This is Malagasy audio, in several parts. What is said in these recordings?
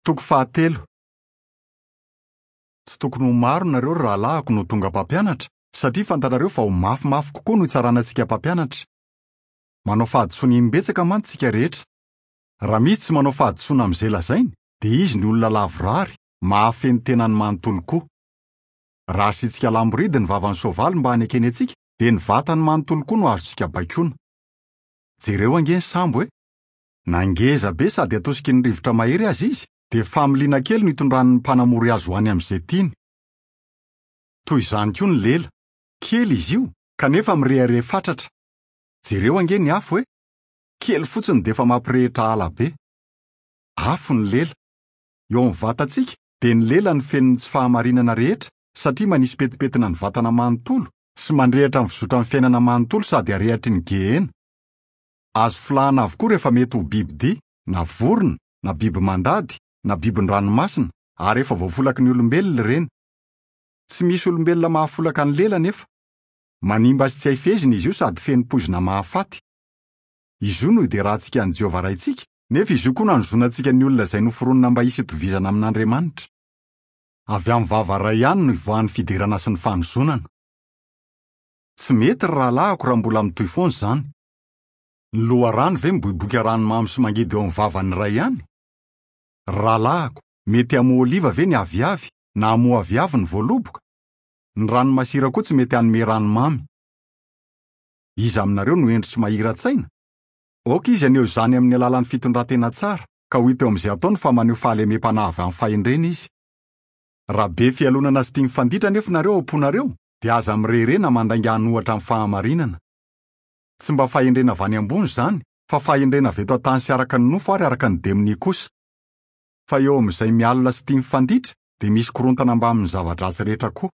Toko fahatelo. Tsy tokony ho maro nareo ry rahalahiko no tonga mpampianatra, satria fantatrareo fa ho mafimafy kokoa no hitsarana antsika mpampianatra. Manao fahadisoana imbetsaka mantsy isika rehetra. Raha misy tsy manao fahadisoana amin'izay lazainy, dia izy ny olona lavorary, mahafehy ny tenany manontolo koa. Raha asiantsika lamboridy ny vavan'ny soavaly mba hanekeny antsika, dia ny vatany manontolo koa no azontsika baikoana. Jereo ange ny sambo e! Na ngeza be sady atosiky ny rivotra mahery aza izy, dia familiana kely no itondran'ny mpanamory azy ho any amin'izay tiany. Toy izany koa ny lela. Kely izy io, kanefa mirehareha fatratra. Jereo ange ny afo e! Kely fotsiny dia efa mampirehitra ala be. Afo ny lela. Eo amin'ny vatantsika, dia ny lela no feno ny tsy fahamarinana rehetra, satria manisy petipetina ny vatana manontolo, sy mandrehitra ny fizotran'ny fiainana manontolo sady arehatry ny gehena. Azo folahana avokoa rehefa mety ho bibidia, na vorona, na biby mandady, na bibin-dranomasina, ary efa voafolaky ny olombelona ireny. Tsy misy olombelona mahafolaka ny lela anefa. Manimba sy tsy hay fehezina izy io sady feno poizina mahafaty. Izy io no iderantsika an'i Jehovah Raintsika, nefa izy io koa no anozonantsika ny olona izay noforonina mba hisy hitovizana amin'Andriamanitra. Avy amin'ny vava iray ihany no ivoahan'ny fiderana sy ny fanozonana. Tsy mety ry rahalahiko raha mbola mitohy foana izany. Ny loharano ve miboiboika rano mamy sy mangidy eo amin'ny vavan'ny iray ihany? Ry rahalahiko, mety hamoa oliva ve ny aviavy, na hamoa aviavy ny voaloboka? Ny rano masira koa tsy mety hanome rano mamy. Iza aminareo no hendry sy mahira-tsaina? Aoka izy haneho izany amin'ny alalan'ny fitondran-tena tsara, ka ho hita eo amin'izay ataony fa maneho fahalemem-panahy avy amin'ny fahendrena izy. Raha be fialonana sy tia mifanditra anefa nareo ao am-ponareo, dia aza mirehareha na mandainga hanohatra ny fahamarinana. Tsy mba fahendrena avy any ambony izany, fa fahendrena avy eto an-tany sy araka ny nofo ary araka ny demonia kosa. Fa eo amin'izay mialona sy tia mifanditra, dia misy korontana mbamin'ny zava-dratsy rehetra koa.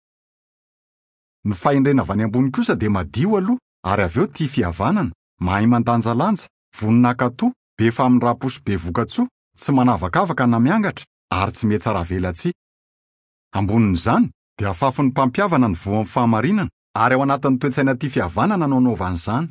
Ny fahendrena avy any ambony kosa dia madio aloha, ary avy eo tia fihavanana, mahay mandanjalanja, vonona hankatò, be famindram-po sy be vokatsoa, tsy manavakavaka na miangatra, ary tsy mihatsaravelatsihy. Ambonin'izany, dia afafin'ny mpampihavana ny voan'ny fahamarinana, ary ao anatin'ny toe-tsaina tia fihavanana no anaovany izany.